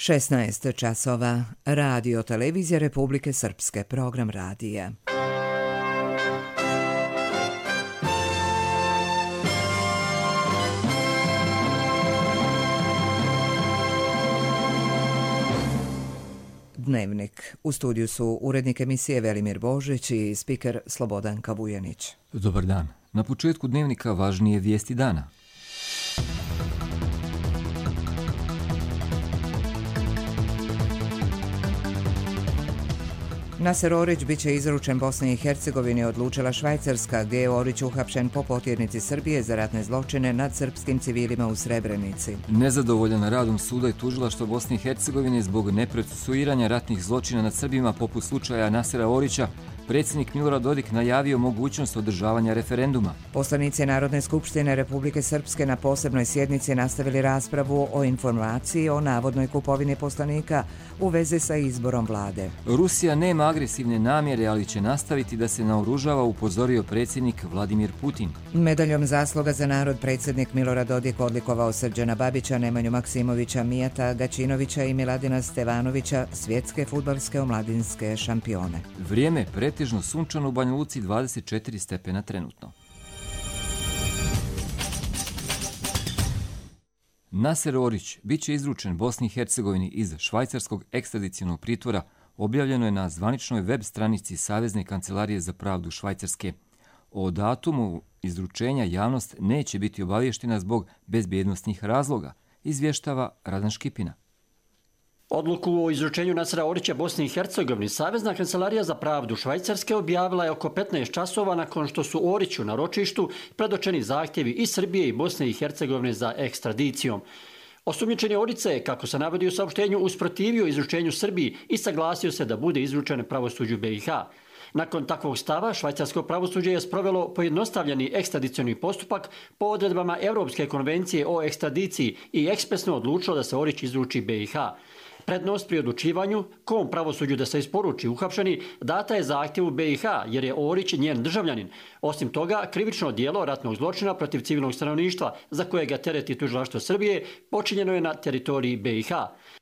16 časova. Radio televizija Republike Srpske, program radija. Dnevnik. U studiju su urednik emisije Velimir Božić i spiker Slobodanka Vujanić. Dobar dan. Na početku dnevnika važnije vijesti dana. Naser Orić biće izručen Bosni i Hercegovini, odlučila Švajcarska, gdje je Orić uhapšen po potjernici Srbije za ratne zločine nad srpskim civilima u Srebrenici. Nezadovoljan radom suda i tužilaštva Bosne i Hercegovine zbog neprocesuiranja ratnih zločina nad Srbima poput slučaja Nasera Orića, predsjednik Milorad Dodik najavio mogućnost održavanja referenduma. Poslanici Narodne skupštine Republike Srpske na posebnoj sjednici nastavili raspravu o informaciji o navodnoj kupovini poslanika u vezi sa izborom vlade. Rusija nema agresivne namjere, ali će nastaviti da se naoružava, upozorio predsjednik Vladimir Putin. Medaljom zasluga za narod predsjednik Milorad Dodik odlikovao Srđana Babića, Nemanju Maksimovića, Mijata Gaćinovića i Miladina Stevanovića, svjetske fudbalske omladinske šampione. Vrijeme pretežno sunčano, u Banja Luci 24 stepena trenutno. Naser Orić biće izručen Bosni i Hercegovini iz švajcarskog ekstradicionog pritvora, objavljeno je na zvaničnoj web stranici Savezne kancelarije za pravdu Švajcarske. O datumu izručenja javnost neće biti obavještena zbog bezbjednosnih razloga, izvještava Radan Škipina. Odluku o izručenju Nasera Orića Bosni i Hercegovini Savezna kancelarija za pravdu Švajcarske objavila je oko 15 časova nakon što su Oriću na ročištu predočeni zahtjevi i Srbije i Bosne i Hercegovine za ekstradicijom. Osumnjičeni Orić se, kako se navodi u saopštenju, usprotivio izručenju Srbiji i saglasio se da bude izručen pravosuđu BiH. Nakon takvog stava, švajcarsko pravosuđe je sprovelo pojednostavljeni ekstradicioni postupak po odredbama Europske konvencije o ekstradiciji i ekspresno odlučilo da se Orić izruči BiH. Prednost pri odlučivanju kom pravosuđu da se isporuči uhapšeni data je zahtjevu BiH jer je Orić njen državljanin. Osim toga, krivično djelo ratnog zločina protiv civilnog stanovništva za koje ga tereti tužilaštvo Srbije počinjeno je na teritoriji BiH.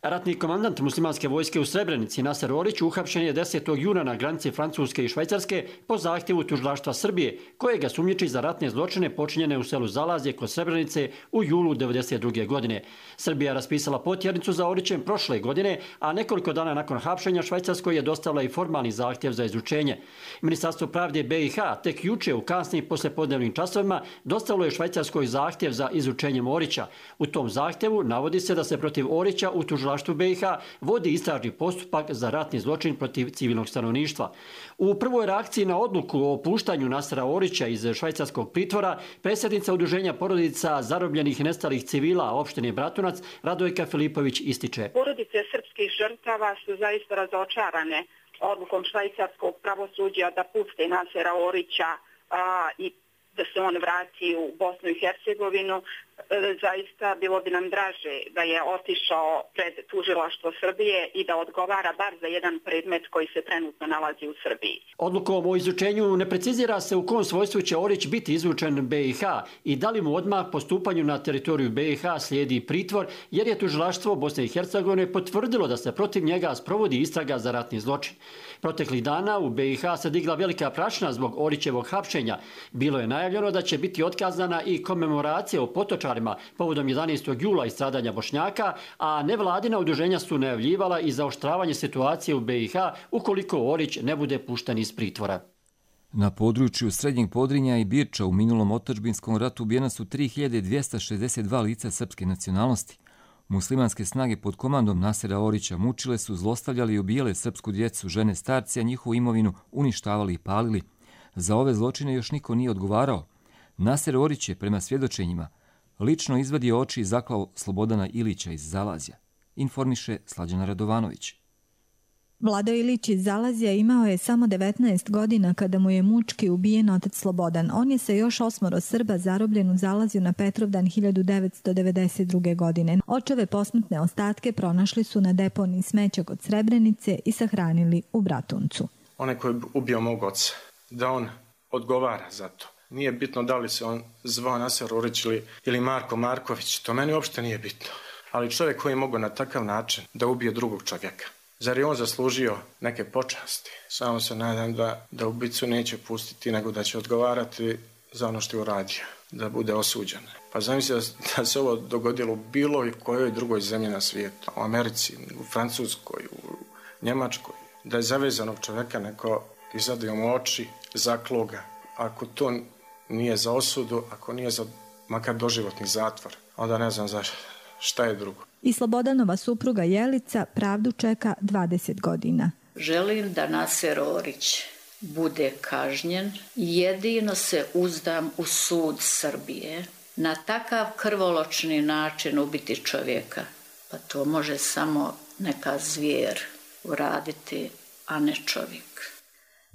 Ratni komandant muslimanske vojske u Srebrenici Naser Orić uhapšen je 10. juna na granici Francuske i Švajcarske po zahtjevu tužilaštva Srbije koje ga sumnjiči za ratne zločine počinjene u selu Zalazje kod Srebrenice u julu 1992. godine. Srbija je raspisala potjernicu za Orićem prošle godine, a nekoliko dana nakon hapšenja Švajcarskoj je dostavila i formalni zahtjev za izručenje. Ministarstvo pravde BiH tek juče u kasnim poslijepodnevnim časovima dostavilo je Švajcarskoj zahtjev za izručenjem Orića. U tom zahtjevu navodi se da se protiv Orića u tužilaštvu BiH vodi istražni postupak za ratni zločin protiv civilnog stanovništva. U prvoj reakciji na odluku o puštanju Nasera Orića iz švajcarskog pritvora, predsjednica Udruženja porodica zarobljenih i nestalih civila opštine Bratunac Radojka Filipović ističe: Porodice srpskih žrtava su zaista razočarane odlukom švajcarskog pravosuđa da puste Nasera Orića i da se on vrati u Bosnu i Hercegovinu. Zaista bilo bi nam draže da je otišao pred tužilaštvo Srbije i da odgovara bar za jedan predmet koji se trenutno nalazi u Srbiji. Odlukom o izručenju ne precizira se u kom svojstvu će Orić biti izručen BiH i da li mu odmah po stupanju na teritoriju BiH slijedi pritvor, jer je tužilaštvo Bosne i Hercegovine potvrdilo da se protiv njega sprovodi istraga za ratni zločin. Proteklih dana u BiH se digla velika prašina zbog Orićevog hapšenja. Bilo je najavljeno da će biti otkazana i komemoracija o potočarima povodom 11. jula i stradanja Bošnjaka, a nevladina udruženja su najavljivala i zaoštravanje situacije u BiH ukoliko Orić ne bude pušten iz pritvora. Na području Srednjeg Podrinja i Birča u minulom otadžbinskom ratu ubijena su 3262 lica srpske nacionalnosti. Muslimanske snage pod komandom Nasera Orića mučile su, zlostavljali i ubijale srpsku djecu, žene, starci, a njihovu imovinu uništavali i palili. Za ove zločine još niko nije odgovarao. Naser Orić je, prema svjedočenjima, lično izvadio oči i zaklao Slobodana Ilića iz Zalazja, informiše Slađana Radovanović. Vlado Ilić iz Zalazja imao je samo 19 godina kada mu je mučki ubijen otac Slobodan. On je sa još 8 Srba zarobljen u Zalazju na Petrovdan 1992. godine. Očeve posmrtne ostatke pronašli su na deponiji smeća kod Srebrenice i sahranili u Bratuncu. Onaj koji je ubio mog oca, da on odgovara za to. Nije bitno da li se on zvao Naser Orić ili Marko Marković, to meni uopšte nije bitno. Ali čovjek koji je mogao na takav način da ubije drugog čovjeka, zar je on zaslužio neke počasti? Samo se nadam da ubicu neće pustiti, nego da će odgovarati za ono što je uradio, da bude osuđen. Pa zamisli da se ovo dogodilo u bilo kojoj drugoj zemlji na svijetu, u Americi, u Francuskoj, u Njemačkoj, da je zavezanog čovjeka neko izadio mu oči, zaklo ga. Ako to nije za osudu, ako nije za makar doživotni zatvor, onda ne znam za šta je drugo. I Slobodanova supruga Jelica pravdu čeka 20 godina. Želim da Naser Orić bude kažnjen. Jedino se uzdam u sud Srbije. Na takav krvoločni način ubiti čovjeka, pa to može samo neka zvijer uraditi, a ne čovjek.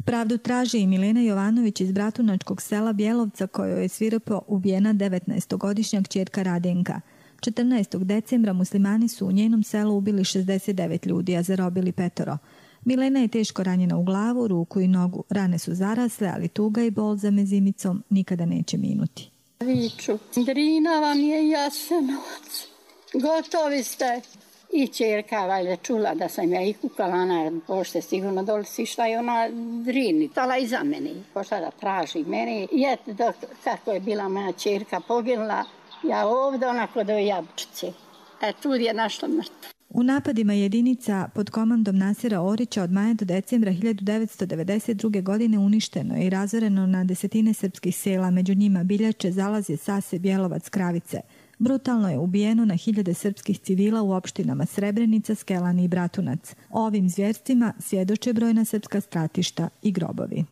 Pravdu traži i Milena Jovanović iz bratunačkog sela Bjelovca, kojoj je svirepo ubijena 19-godišnja kćerka Radenka. 14. decembra muslimani su u njenom selu ubili 69 ljudi, a zarobili 5. Milena je teško ranjena u glavu, ruku i nogu. Rane su zarasle, ali tuga i bol za mezimicom nikada neće minuti. Viču, Drina vam je Jasenovac. Gotovi ste. I čerka valjda čula da sam ja i kukala na pošte, sigurno doli si šta je ona Drini. Tala iza mene, pošla da traži mene. I eto, kako je bila moja čerka poginula, ja ovdje onako do jabučice. Tu je našla mrtva. U napadima jedinica pod komandom Nasera Orića od maja do decembra 1992. godine uništeno je i razoreno na desetine srpskih sela, među njima Biljače, Zalazje, Sase, Bjelovac, Kravice. Brutalno je ubijeno na hiljade srpskih civila u opštinama Srebrenica, Skelani i Bratunac. O ovim zvjerstvima svjedoče brojna srpska stratišta i grobovi.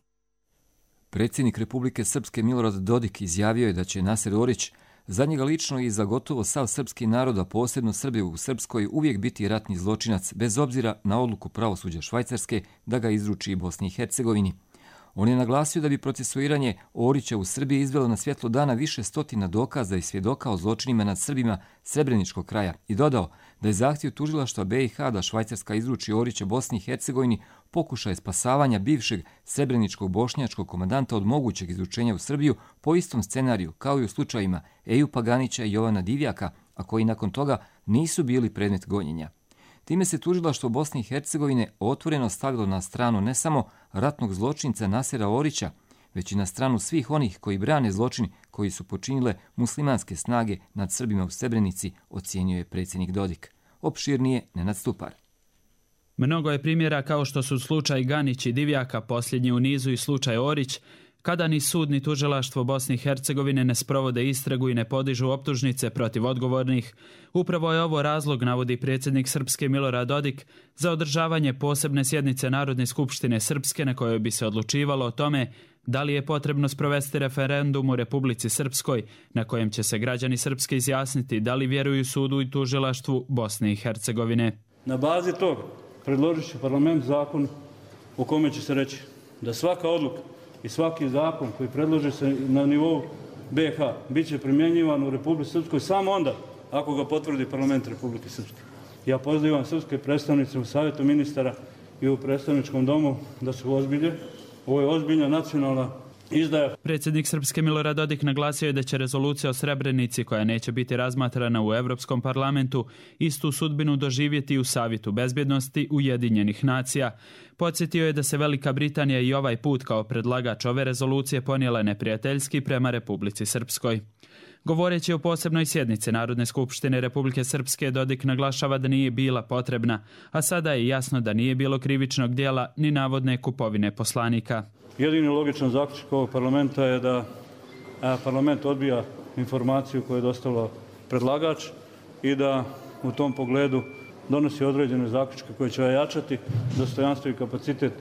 Predsjednik Republike Srpske Milorad Dodik izjavio je da će Naser Orić za njega lično i za gotovo sav srpski narod, a posebno Srbi u Srpskoj, uvijek biti ratni zločinac, bez obzira na odluku pravosuđa Švajcarske da ga izruči i Bosni i Hercegovini. On je naglasio da bi procesuiranje Orića u Srbiji izvelo na svjetlo dana više stotina dokaza i svjedoka o zločinima nad Srbima Srebreničkog kraja i dodao da je zahtjev tužilaštva BiH da Švajcarska izruči Orića Bosni i Hercegovini pokušaj spasavanja bivšeg srebreničkog bošnjačkog komandanta od mogućeg izručenja u Srbiju po istom scenariju kao i u slučajima Ejupa Ganića i Jovana Divjaka, a koji nakon toga nisu bili predmet gonjenja. Time se tužilaštvo Bosne i Hercegovine otvoreno stavilo na stranu ne samo ratnog zločinca Nasera Orića, već i na stranu svih onih koji brane zločin koji su počinile muslimanske snage nad Srbima u Srebrenici, ocijenio je predsjednik Dodik. Opširnije Nenad Stupar. Mnogo je primjera kao što su slučaj Ganić i Divjaka, posljednji u nizu i slučaj Orić, kada ni sud ni tužilaštvo Bosne i Hercegovine ne sprovode istragu i ne podižu optužnice protiv odgovornih. Upravo je ovo razlog, navodi predsjednik Srpske Milorad Dodik, za održavanje posebne sjednice Narodne skupštine Srpske na kojoj bi se odlučivalo o tome da li je potrebno sprovesti referendum u Republici Srpskoj na kojem će se građani Srpske izjasniti da li vjeruju sudu i tužilaštvu Bosne i Hercegovine. Na bazi toga predložit će parlament zakon u kome će se reći da svaka odluka i svaki zakon koji predloži se na nivou BiH bit će primjenjivan u Republici Srpskoj samo onda ako ga potvrdi parlament Republike Srpske. Ja pozivam srpske predstavnice u Savjetu ministara i u predstavničkom domu da se ozbilje. Ovo je ozbiljna nacionalna izdaja. Predsjednik Srpske Milorad Dodik naglasio je da će rezolucija o Srebrenici, koja neće biti razmatrana u Europskom parlamentu, istu sudbinu doživjeti u Savjetu bezbjednosti Ujedinjenih nacija. Podsjetio je da se Velika Britanija i ovaj put kao predlagač ove rezolucije ponijela neprijateljski prema Republici Srpskoj. Govoreći o posebnoj sjednici Narodne skupštine Republike Srpske, Dodik naglašava da nije bila potrebna, a sada je jasno da nije bilo krivičnog djela ni navodne kupovine poslanika. Jedini logičan zaključak ovog parlamenta je da parlament odbija informaciju koju je dostavila predlagač i da u tom pogledu donosi određene zaključke koje će ojačati dostojanstvo i kapacitet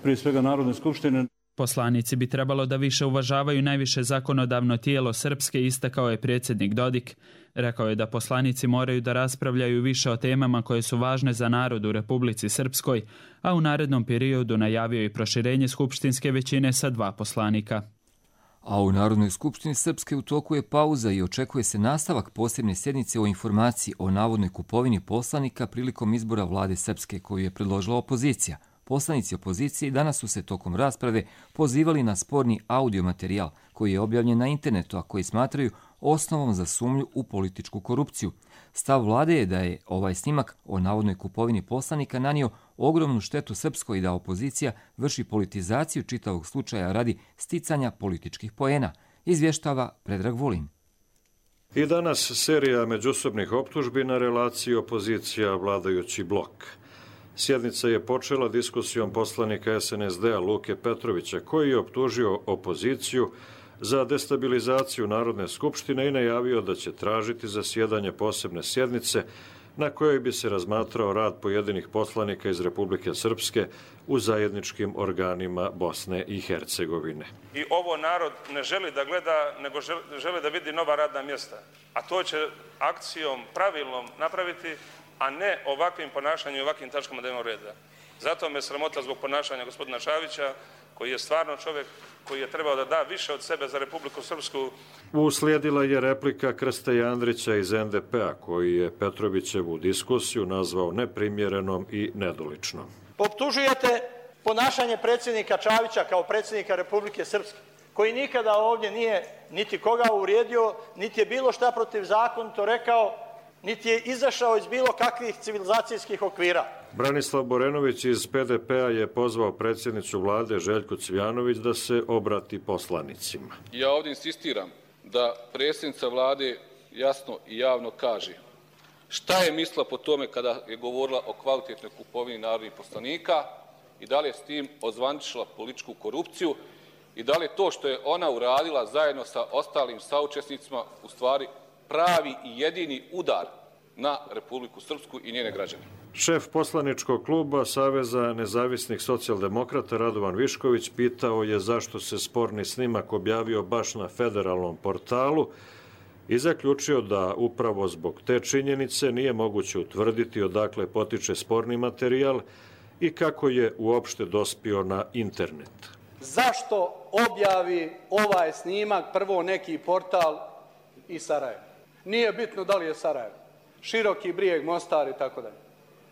prije svega Narodne skupštine. Poslanici bi trebalo da više uvažavaju najviše zakonodavno tijelo Srpske, istakao je predsjednik Dodik. Rekao je da poslanici moraju da raspravljaju više o temama koje su važne za narod u Republici Srpskoj, a u narednom periodu najavio i proširenje skupštinske većine sa 2 poslanika. A u Narodnoj skupštini Srpske u toku je pauza i očekuje se nastavak posebne sjednice o informaciji o navodnoj kupovini poslanika prilikom izbora vlade Srpske koju je predložila opozicija. Poslanici opozicije danas su se tokom rasprave pozivali na sporni audio materijal koji je objavljen na internetu, a koji smatraju osnovom za sumnju u političku korupciju. Stav vlade je da je ovaj snimak o navodnoj kupovini poslanika nanio ogromnu štetu Srpskoj i da opozicija vrši politizaciju čitavog slučaja radi sticanja političkih poena, izvještava Predrag Vulin. I danas serija međusobnih optužbi na relaciji opozicija-vladajući blok. Sjednica je počela diskusijom poslanika SNSD-a Luke Petrovića, koji je optužio opoziciju za destabilizaciju Narodne skupštine i najavio da će tražiti zasjedanje posebne sjednice na kojoj bi se razmatrao rad pojedinih poslanika iz Republike Srpske u zajedničkim organima Bosne i Hercegovine. I ovo narod ne želi da gleda, nego želi da vidi nova radna mjesta. A to će akcijom pravilnom napraviti, a ne ovakvim ponašanjem i ovakvim tačkama dnevnog reda. Zato me sramota zbog ponašanja gospodina Šavića, koji je stvarno čovjek koji je trebao da da više od sebe za Republiku Srpsku. Uslijedila je replika Krste Andrića iz NDP-a, koji je Petrovićevu diskusiju nazvao neprimjerenom i nedoličnom. Optužujete ponašanje predsjednika Čavića kao predsjednika Republike Srpske, koji nikada ovdje nije niti koga uvrijedio, niti je bilo šta protivzakonito rekao, niti je izašao iz bilo kakvih civilizacijskih okvira. Branislav Borenović iz PDP-a je pozvao predsjednicu vlade Željku Cvijanović da se obrati poslanicima. Ja ovdje insistiram da predsjednica vlade jasno i javno kaže šta je mislila po tome kada je govorila o kvalitetnoj kupovini narodnih poslanika i da li je s tim ozvaničila političku korupciju i da li je to što je ona uradila zajedno sa ostalim saučesnicima u stvari pravi i jedini udar na Republiku Srpsku i njene građane. Šef poslaničkog kluba Saveza nezavisnih socijaldemokrata Radovan Višković pitao je zašto se sporni snimak objavio baš na federalnom portalu i zaključio da upravo zbog te činjenice nije moguće utvrditi odakle potiče sporni materijal i kako je uopšte dospio na internet. Zašto objavi ovaj snimak prvo neki portal iz Sarajeva? Nije bitno da li je Sarajevo, Široki Brijeg, Mostar i tako dalje.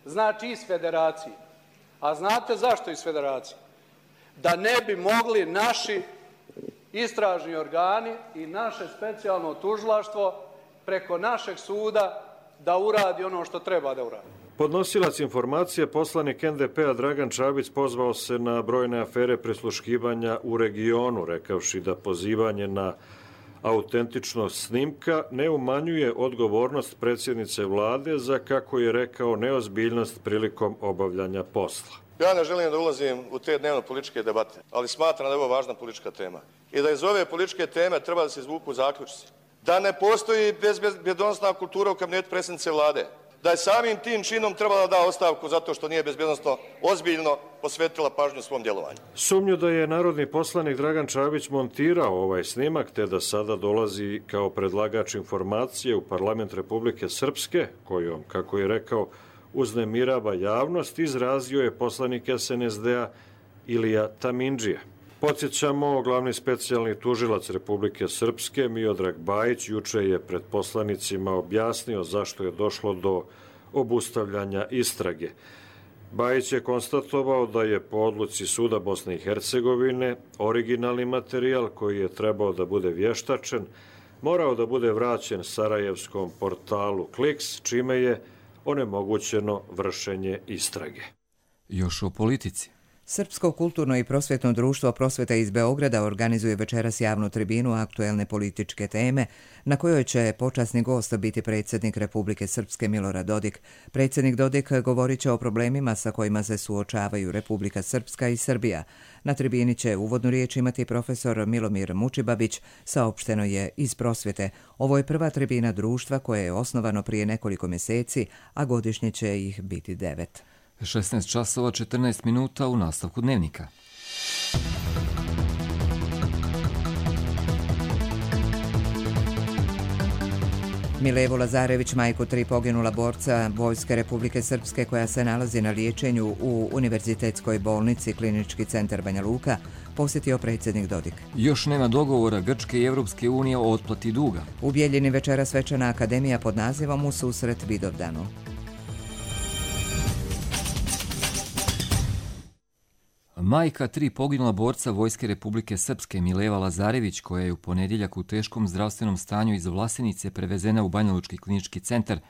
Znači iz federacije. A znate zašto iz federacije? Da ne bi mogli naši istražni organi i naše specijalno tužilaštvo preko našeg suda da uradi ono što treba da uradi. Podnosilac informacije, poslanik NDP-a Dragan Čabić pozvao se na brojne afere prisluškivanja u regionu, rekavši da pozivanje na autentičnost snimka ne umanjuje odgovornost predsjednice vlade za, kako je rekao, neozbiljnost prilikom obavljanja posla. Ja ne želim da ulazim u te dnevno političke debate, ali smatram da je ovo važna politička tema. I da iz ove političke teme treba da se izvuku zaključci. Da ne postoji bezbjednosna kultura u kabinetu predsjednice vlade. Da je samim tim činom trebala da ostavku zato što nije bezbjednosno ozbiljno posvetila pažnju svom djelovanju. Sumnju da je narodni poslanik Dragan Čabić montirao ovaj snimak te da sada dolazi kao predlagač informacije u parlament Republike Srpske, kojom, kako je rekao, uznemirava javnost, izrazio je poslanik SNSD-a Ilija Tamindžija. Podsjećamo, glavni specijalni tužilac Republike Srpske Miodrag Bajić juče je pred poslanicima objasnio zašto je došlo do obustavljanja istrage. Bajić je konstatovao da je po odluci Suda Bosne i Hercegovine originalni materijal koji je trebao da bude vještačen morao da bude vraćen sarajevskom portalu Kliks, čime je onemogućeno vršenje istrage. Još o politici. Srpsko kulturno i prosvjetno društvo Prosvjeta iz Beograda organizuje večeras javnu tribinu aktuelne političke teme, na kojoj će počasni gost biti predsjednik Republike Srpske Milorad Dodik. Predsjednik Dodik govorit će o problemima sa kojima se suočavaju Republika Srpska i Srbija. Na tribini će uvodnu riječ imati profesor Milomir Mučibabić, saopšteno je iz Prosvjete. Ovo je prva tribina društva koje je osnovano prije nekoliko mjeseci, a godišnje će ih biti 9. 16 časova 14 minuta u nastavku dnevnika. Milevu Lazarević, majku 3 poginula borca Vojske Republike Srpske koja se nalazi na liječenju u Univerzitetskoj bolnici Klinički centar Banja Luka, posjetio predsjednik Dodik. Još nema dogovora Grčke i Evropske unije o otplati duga. U Bijeljini večera svečana akademija pod nazivom U susret Vidovdanu. Majka 3 poginula borca Vojske Republike Srpske Mileva Lazarević, koja je u ponedjeljak u teškom zdravstvenom stanju iz Vlasenice prevezena u Banjalučki klinički centar,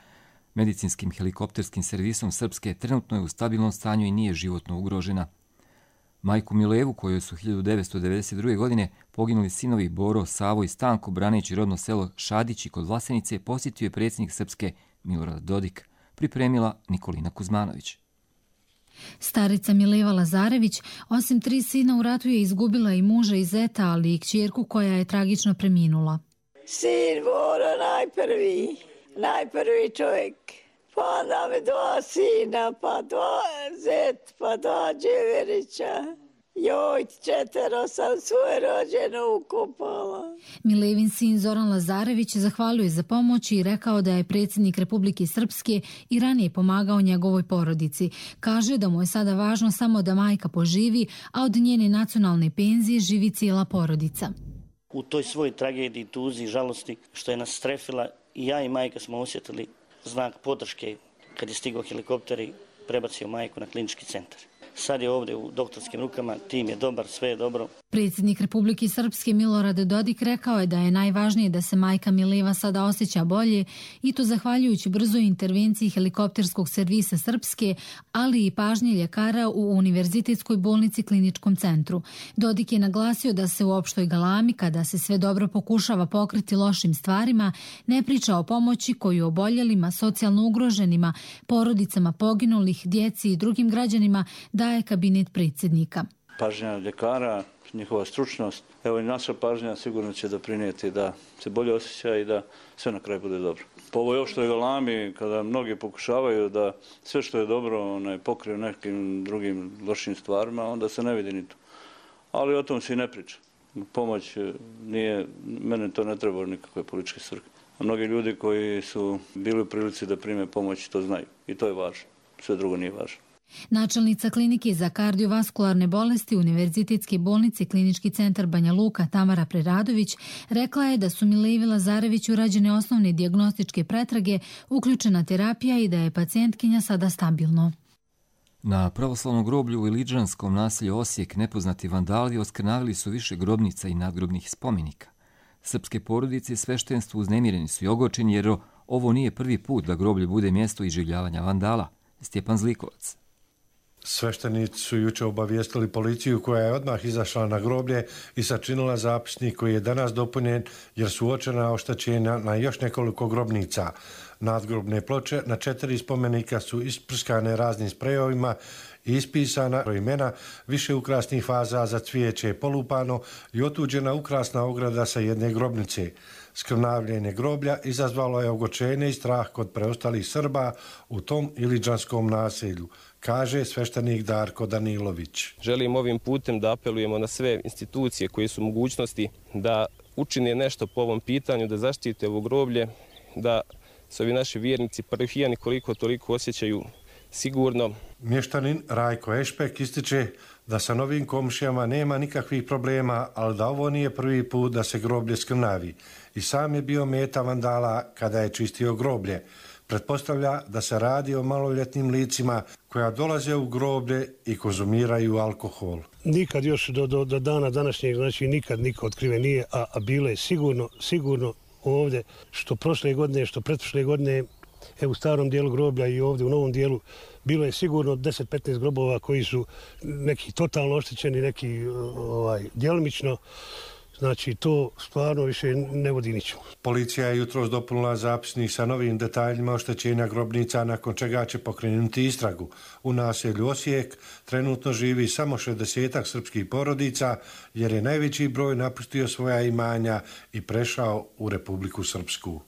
medicinskim helikopterskim servisom Srpske, trenutno je u stabilnom stanju i nije životno ugrožena. Majku Milevu, kojoj su 1992. godine poginuli sinovi Boro, Savo i Stanko, braneći rodno selo Šadići kod Vlasenice, posjetio je predsjednik Srpske Milorad Dodik, pripremila Nikolina Kuzmanović. Starica Mileva Lazarević, osim 3 sina u ratu, je izgubila i muža i zeta, ali i kćerku koja je tragično preminula. Sin Boro najprvi čovjek, pa onda me 2 sina, pa 2 zet, pa 2 dževerića. Joj, 4 sam svoje rođene ukopala. Milevin sin Zoran Lazarević zahvalio za pomoć i rekao da je predsjednik Republike Srpske i ranije pomagao njegovoj porodici. Kaže da mu je sada važno samo da majka poživi, a od njene nacionalne penzije živi cijela porodica. U toj svojoj tragediji, tuzi i žalosti što je nas strefila, i ja i majka smo osjetili znak podrške kad je stigao helikopter i prebacio majku na klinički centar. Sad je ovdje u doktorskim rukama, tim je dobar, sve je dobro. Predsjednik Republike Srpske Milorad Dodik rekao je da je najvažnije da se majka Mileva sada osjeća bolje, i to zahvaljujući brzoj intervenciji helikopterskog servisa Srpske, ali i pažnje ljekara u Univerzitetskoj bolnici kliničkom centru. Dodik je naglasio da se u opštoj galami, kada se sve dobro pokušava pokriti lošim stvarima, ne priča o pomoći koju oboljelima, socijalno ugroženima, porodicama poginulih, djeci i drugim građanima daje kabinet predsjednika. Pažnja ljekara, njihova stručnost, evo i naša pažnja sigurno će doprinijeti da se bolje osjeća i da sve na kraju bude dobro. Po ovoj opštoj galami, kada mnogi pokušavaju da sve što je dobro pokriju nekim drugim lošim stvarima, onda se ne vidi ni to. Ali o tom se i ne priča. Pomoć nije, mene to ne treba nikakve političke svrhe. A mnogi ljudi koji su bili u prilici da prime pomoć to znaju i to je važno. Sve drugo nije važno. Načelnica klinike za kardiovaskularne bolesti Univerzitetske bolnice klinički centar Banja Luka Tamara Preradović rekla je da su Milevi Lazarević urađene osnovne dijagnostičke pretrage, uključena terapija i da je pacijentkinja sada stabilno. Na pravoslavnom groblju u Iliđanskom naselju Osijek nepoznati vandali oskrnavili su više grobnica i nadgrobnih spomenika. Srpske porodice i sveštenstvo uznemireni su i ogorčeni jer ovo nije prvi put da groblje bude mjesto iživljavanja vandala. Stjepan Zlikovac. Sveštenici su juče obavijestili policiju koja je odmah izašla na groblje i sačinila zapisnik koji je danas dopunjen jer su uočena oštećenja na još nekoliko grobnica. Nadgrobne ploče na 4 spomenika su isprskane raznim sprejovima i ispisana imena, više ukrasnih faza za cvijeće je polupano i otuđena ukrasna ograda sa jedne grobnice. Skrnavljenje groblja izazvalo je ogorčenje i strah kod preostalih Srba u tom iliđanskom naselju, kaže sveštenik Darko Danilović. Želim ovim putem da apelujemo na sve institucije koje su mogućnosti da učine nešto po ovom pitanju, da zaštite ovo groblje, da se ovi naši vjernici parohijani koliko toliko osjećaju sigurno. Mještanin Rajko Ešpek ističe da sa novim komšijama nema nikakvih problema, ali da ovo nije prvi put da se groblje skrnavi. I sam je bio meta vandala kada je čistio groblje. Pretpostavlja da se radi o maloljetnim licima koja dolaze u groblje i konzumiraju alkohol. Nikad još do dana današnjeg, znači nikad niko otkriven nije, a bilo je sigurno ovdje, što prošle godine, što pretprošle godine, u starom dijelu groblja i ovdje u novom dijelu, bilo je sigurno 10-15 grobova koji su neki totalno oštećeni, neki djelomično. Znači, to stvarno više ne vodi ničemu. Policija je jutros dopunila zapisnik sa novim detaljima oštećenja grobnica, nakon čega će pokrenuti istragu. U naselju Osijek trenutno živi samo 60 srpskih porodica, jer je najveći broj napustio svoja imanja i prešao u Republiku Srpsku.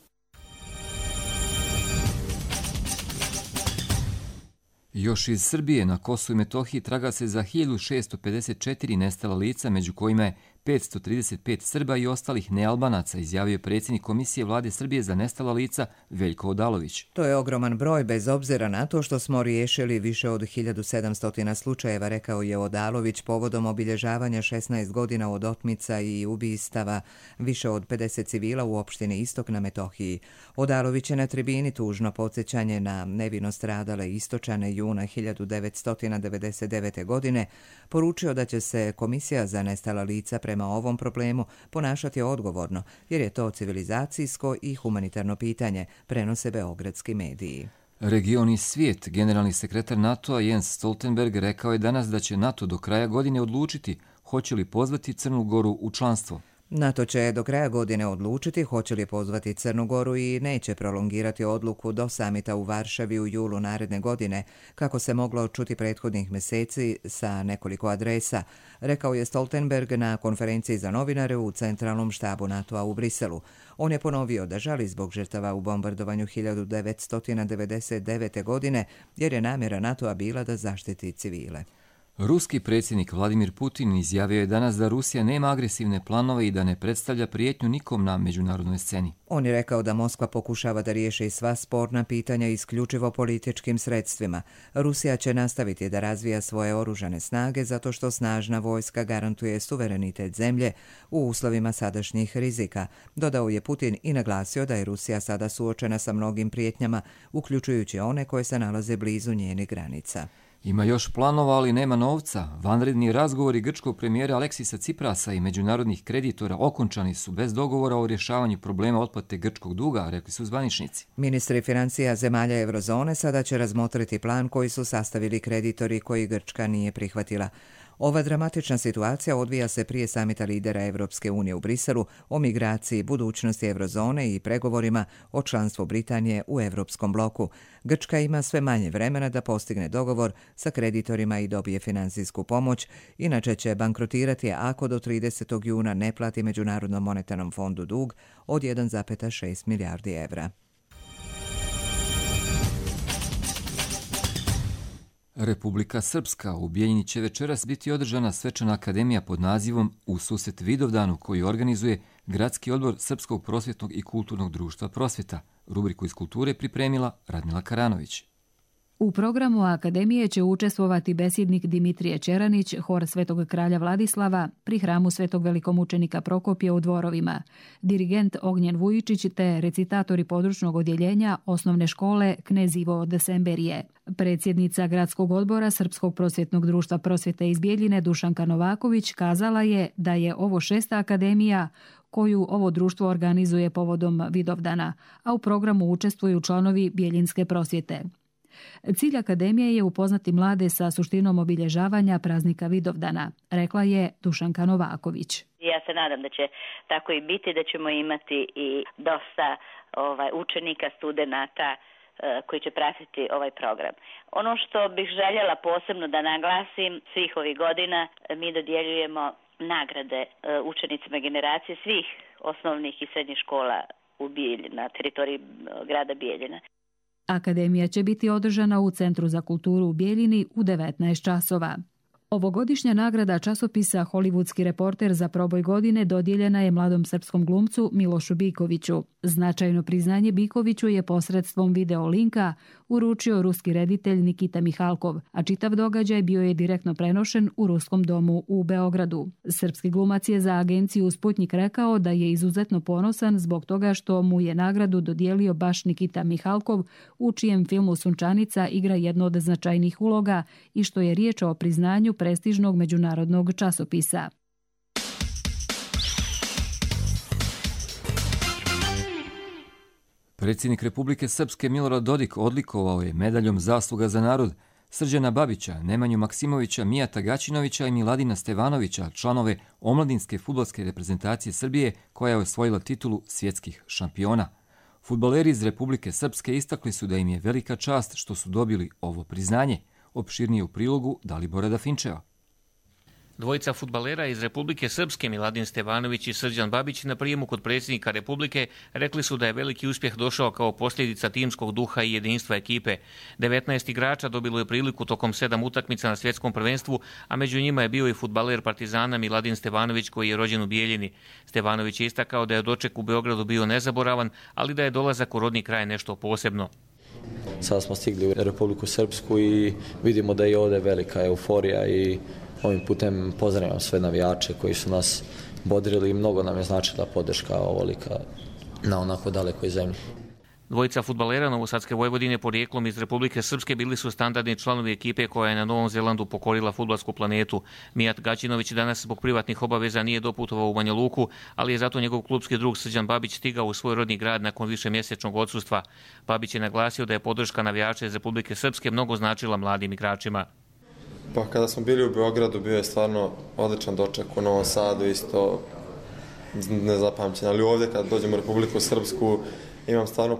Još iz Srbije na Kosovu i Metohiji traga se za 1654 nestala lica, među kojima je 535 Srba i ostalih nealbanaca, izjavio je predsjednik Komisije vlade Srbije za nestala lica Veljko Odalović. To je ogroman broj bez obzira na to što smo riješili više od 1700 slučajeva, rekao je Odalović povodom obilježavanja 16 godina od otmica i ubistava više od 50 civila u opštini Istok na Metohiji. Odalović je na tribini tužno podsjećanje na nevino stradale Istočane juna 1999. godine poručio da će se Komisija za nestala lica prema ovom problemu ponašati odgovorno, jer je to civilizacijsko i humanitarno pitanje, prenose beogradski mediji. Region i svijet, generalni sekretar NATO-a Jens Stoltenberg rekao je danas da će NATO do kraja godine odlučiti hoće li pozvati Crnu Goru u članstvo. NATO će do kraja godine odlučiti hoće li pozvati Crnu Goru i neće prolongirati odluku do samita u Varšavi u julu naredne godine, kako se moglo čuti prethodnih mjeseci sa nekoliko adresa, rekao je Stoltenberg na konferenciji za novinare u centralnom štabu NATO-a u Briselu. On je ponovio da žali zbog žrtava u bombardovanju 1999. godine, jer je namjera NATO-a bila da zaštiti civile. Ruski predsjednik Vladimir Putin izjavio je danas da Rusija nema agresivne planove i da ne predstavlja prijetnju nikom na međunarodnoj sceni. On je rekao da Moskva pokušava da riješi sva sporna pitanja isključivo političkim sredstvima. Rusija će nastaviti da razvija svoje oružane snage zato što snažna vojska garantuje suverenitet zemlje u uslovima sadašnjih rizika. Dodao je Putin i naglasio da je Rusija sada suočena sa mnogim prijetnjama, uključujući one koje se nalaze blizu njenih granica. Ima još planova, ali nema novca. Vanredni razgovori grčkog premijera Aleksisa Ciprasa i međunarodnih kreditora okončani su bez dogovora o rješavanju problema otplate grčkog duga, rekli su zvaničnici. Ministri financija zemalja Eurozone sada će razmotriti plan koji su sastavili kreditori koji Grčka nije prihvatila. Ova dramatična situacija odvija se prije samita lidera Evropske unije u Briselu o migraciji, budućnosti Eurozone i pregovorima o članstvu Britanije u Evropskom bloku. Grčka ima sve manje vremena da postigne dogovor sa kreditorima i dobije financijsku pomoć, inače će bankrotirati ako do 30. juna ne plati Međunarodnom monetarnom fondu dug od 1,6 milijardi evra. Republika Srpska. U Bijeljini će večeras biti održana svečana akademija pod nazivom U susret Vidovdanu, koji organizuje Gradski odbor Srpskog prosvjetnog i kulturnog društva Prosvjeta. Rubriku iz kulture pripremila Radmila Karanović. U programu Akademije će učestvovati besjednik Dimitrije Čeranić, hor Svetog kralja Vladislava pri hramu Svetog velikomučenika Prokopija u Dvorovima, dirigent Ognjen Vujičić te recitatori područnog odjeljenja osnovne škole Knez Ivo Desemberije. Predsjednica Gradskog odbora Srpskog prosvjetnog društva Prosvjete iz Bijeljine Dušanka Novaković kazala je da je ovo 6. akademija koju ovo društvo organizuje povodom Vidovdana, a u programu učestvuju članovi Bijeljinske prosvjete. Cilj akademije je upoznati mlade sa suštinom obilježavanja praznika Vidovdana, rekla je Dušanka Novaković. Ja se nadam da će tako i biti, da ćemo imati i dosta učenika, studenata koji će pratiti ovaj program. Ono što bih željela posebno da naglasim, svih ovih godina mi dodjeljujemo nagrade učenicima generacije svih osnovnih i srednjih škola na teritoriji grada Bijeljina. Akademija će biti održana u Centru za kulturu u Bijeljini u 19 časova. Ovogodišnja nagrada časopisa Hollywoodski reporter za proboj godine dodijeljena je mladom srpskom glumcu Milošu Bikoviću. Značajno priznanje Bikoviću je posredstvom video linka uručio ruski reditelj Nikita Mihalkov, a čitav događaj bio je direktno prenošen u Ruskom domu u Beogradu. Srpski glumac je za agenciju Sputnik rekao da je izuzetno ponosan zbog toga što mu je nagradu dodijelio baš Nikita Mihalkov, u čijem filmu Sunčanica igra jednu od značajnih uloga i što je riječ o priznanju prestižnog međunarodnog časopisa. Predsjednik Republike Srpske Milorad Dodik odlikovao je medaljom Zasluga za narod Srđana Babića, Nemanju Maksimovića, Mijata Gaćinovića i Miladina Stevanovića, članove omladinske fudbalske reprezentacije Srbije koja je osvojila titulu svjetskih šampiona. Fudbaleri iz Republike Srpske istakli su da im je velika čast što su dobili ovo priznanje. Opširnije u prilogu Dalibora Dafinčeva. Dvojica fudbalera iz Republike Srpske, Miladin Stevanović i Srđan Babić, na prijemu kod predsjednika Republike rekli su da je veliki uspjeh došao kao posljedica timskog duha i jedinstva ekipe. 19 igrača dobilo je priliku tokom 7 utakmica na svjetskom prvenstvu, a među njima je bio i fudbaler Partizana Miladin Stevanović koji je rođen u Bijeljini. Stevanović je istakao da je doček u Beogradu bio nezaboravan, ali da je dolazak u rodni kraj nešto posebno. Sada smo stigli u Republiku Srpsku i vidimo da je ovdje velika euforija i ovim putem pozdravljam sve navijače koji su nas bodrili i mnogo nam je značila podrška ovolika na onako dalekoj zemlji. Dvojica fudbalera Novosadske Vojvodine porijeklom iz Republike Srpske bili su standardni članovi ekipe koja je na Novom Zelandu pokorila fudbalsku planetu. Mijat Gaćinović danas zbog privatnih obaveza nije doputovao u Banja Luku, ali je zato njegov klubski drug Srđan Babić stigao u svoj rodni grad nakon višemjesečnog odsustva. Babić je naglasio da je podrška navijača iz Republike Srpske mnogo značila mladim igračima. Pa kada smo bili u Beogradu bio je stvarno odličan doček, u Novom Sadu isto nezapamćen, ali ovdje kad dođemo u Republiku Srpsku imam stvarno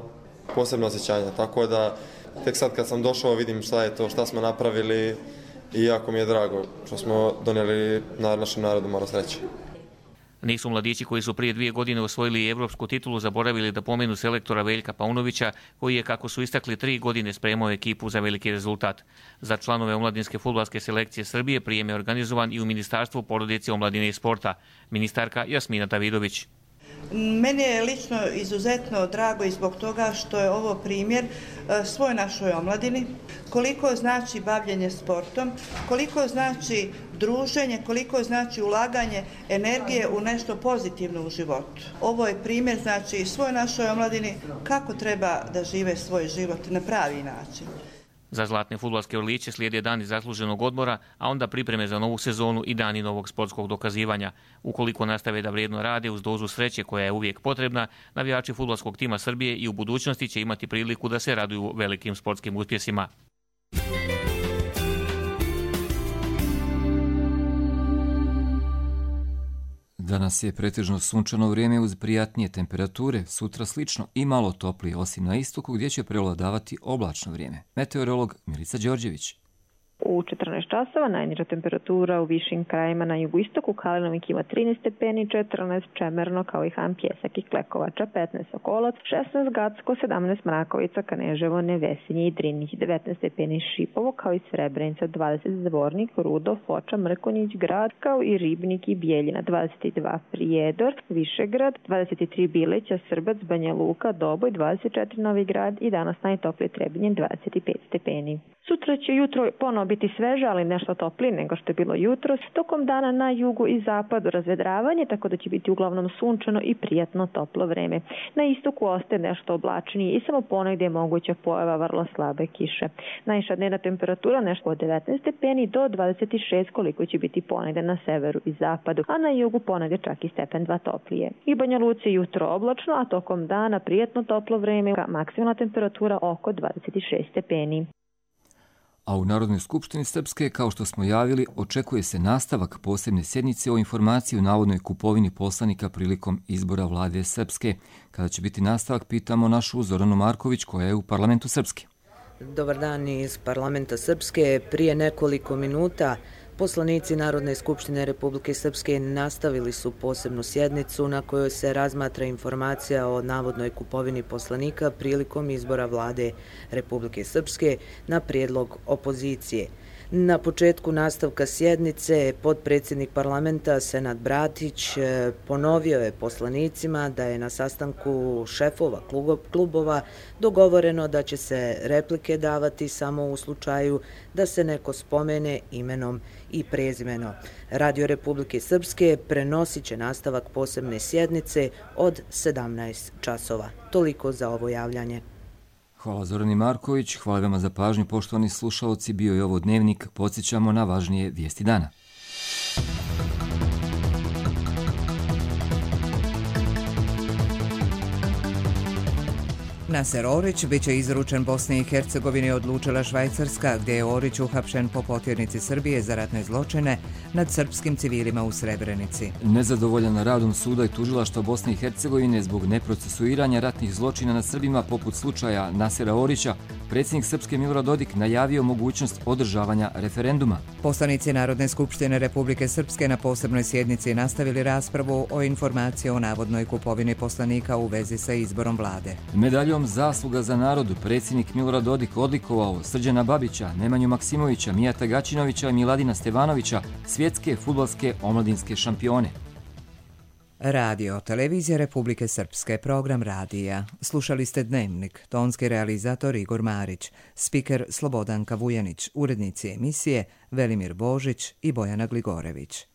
posebno osjećanje, tako da tek sad kad sam došao vidim šta je to, šta smo napravili i jako mi je drago što smo donijeli našem narodu malo sreće. Nisu mladići koji su prije 2 godine osvojili evropsku titulu zaboravili da pomenu selektora Veljka Paunovića, koji je, kako su istakli, 3 godine spremao ekipu za veliki rezultat. Za članove omladinske fudbalske selekcije Srbije prijem je organizovan i u Ministarstvu porodice, omladine i sporta. Ministarka Jasmina Davidović. Meni je lično izuzetno drago i zbog toga što je ovo primjer svoj našoj omladini, koliko znači bavljenje sportom, koliko znači druženje, koliko znači ulaganje energije u nešto pozitivno u životu. Ovo je primjer znači svoj našoj omladini kako treba da žive svoj život na pravi način. Za zlatne fudbalske orliće slijede dani zasluženog odmora, a onda pripreme za novu sezonu i dani novog sportskog dokazivanja. Ukoliko nastave da vrijedno rade uz dozu sreće koja je uvijek potrebna, navijači fudbalskog tima Srbije i u budućnosti će imati priliku da se raduju velikim sportskim uspjesima. Danas je pretežno sunčano vrijeme uz prijatnije temperature, sutra slično i malo toplije, osim na istoku gdje će prevladavati oblačno vrijeme. Meteorolog Milica Đorđević. U 14 časova najniža temperatura u višim krajima na jugoistoku, Kalinovik ima 13 stepeni, 14 Čemerno kao i Han Pjesak i Klekovača, 15 Sokolac, 16 Gacko, 17 Mrakovica, Kaneževo, Nevesinje i Drinih, 19 stepeni Šipovo kao i Srebrenica, 20 Zvornik, Rudo, Foča, Mrkonjić, Grad kao i Ribnik i Bijeljina, 22 Prijedor, Višegrad, 23 Bileća, Srbac, Banja Luka, Doboj, 24 Novi Grad i danas najtoplije Trebinje, 25 stepeni. Sutra će jutro ponovo biti sveže, ali nešto toplije nego što je bilo jutros. Tokom dana na jugu i zapadu razvedravanje, tako da će biti uglavnom sunčano i prijatno toplo vreme. Na istoku ostaje nešto oblačnije i samo ponegdje je moguća pojava vrlo slabe kiše. Najviša dnevna temperatura nešto od 19 stepeni do 26 koliko će biti ponegdje na severu i zapadu, a na jugu ponegdje čak i stepen 2 toplije. I Banja Luci jutro oblačno, a tokom dana prijatno toplo vreme, maksimalna temperatura oko 26 stepeni. A u Narodnoj skupštini Srpske, kao što smo javili, očekuje se nastavak posebne sjednice o informaciji o navodnoj kupovini poslanika prilikom izbora vlade Srpske. Kada će biti nastavak, pitamo našu Zoranu Marković koja je u parlamentu Srpske. Dobar dan iz parlamenta Srpske. Prije nekoliko minuta poslanici Narodne skupštine Republike Srpske nastavili su posebnu sjednicu na kojoj se razmatra informacija o navodnoj kupovini poslanika prilikom izbora vlade Republike Srpske na prijedlog opozicije. Na početku nastavka sjednice potpredsjednik parlamenta Senad Bratić ponovio je poslanicima da je na sastanku šefova klubova dogovoreno da će se replike davati samo u slučaju da se neko spomene imenom i prezimenom. Radio Republike Srpske prenosit će nastavak posebne sjednice od 17 časova. Toliko za ovo javljanje. Hvala Zorani Marković, hvala vama za pažnju, poštovani slušalci, bio je ovo Dnevnik, podsjećamo na važnije vijesti dana. Naser Orić bit će izručen Bosni i Hercegovini, odlučila Švajcarska, gdje je Orić uhapšen po potjernici Srbije za ratne zločine nad srpskim civilima u Srebrenici. Nezadovoljan radom suda i tužilaštva Bosne i Hercegovine zbog neprocesuiranja ratnih zločina nad Srbima poput slučaja Nasera Orića, predsjednik Srpske Milorad Dodik najavio mogućnost održavanja referenduma. Poslanici Narodne skupštine Republike Srpske na posebnoj sjednici nastavili raspravu o informaciji o navodnoj kupovini poslanika u vezi sa izborom vlade. Medaljom Zasluga za narod predsjednik Milorad Dodik odlikovao Srđana Babića, Nemanju Maksimovića, Mijata Gaćinovića i Miladina Stevanovića, svjetske fudbalske omladinske šampione. Radio, televizija Republike Srpske, program radija. Slušali ste Dnevnik, tonski realizator Igor Marić, spiker Slobodanka Vujanić, urednici emisije Velimir Božić i Bojana Gligorević.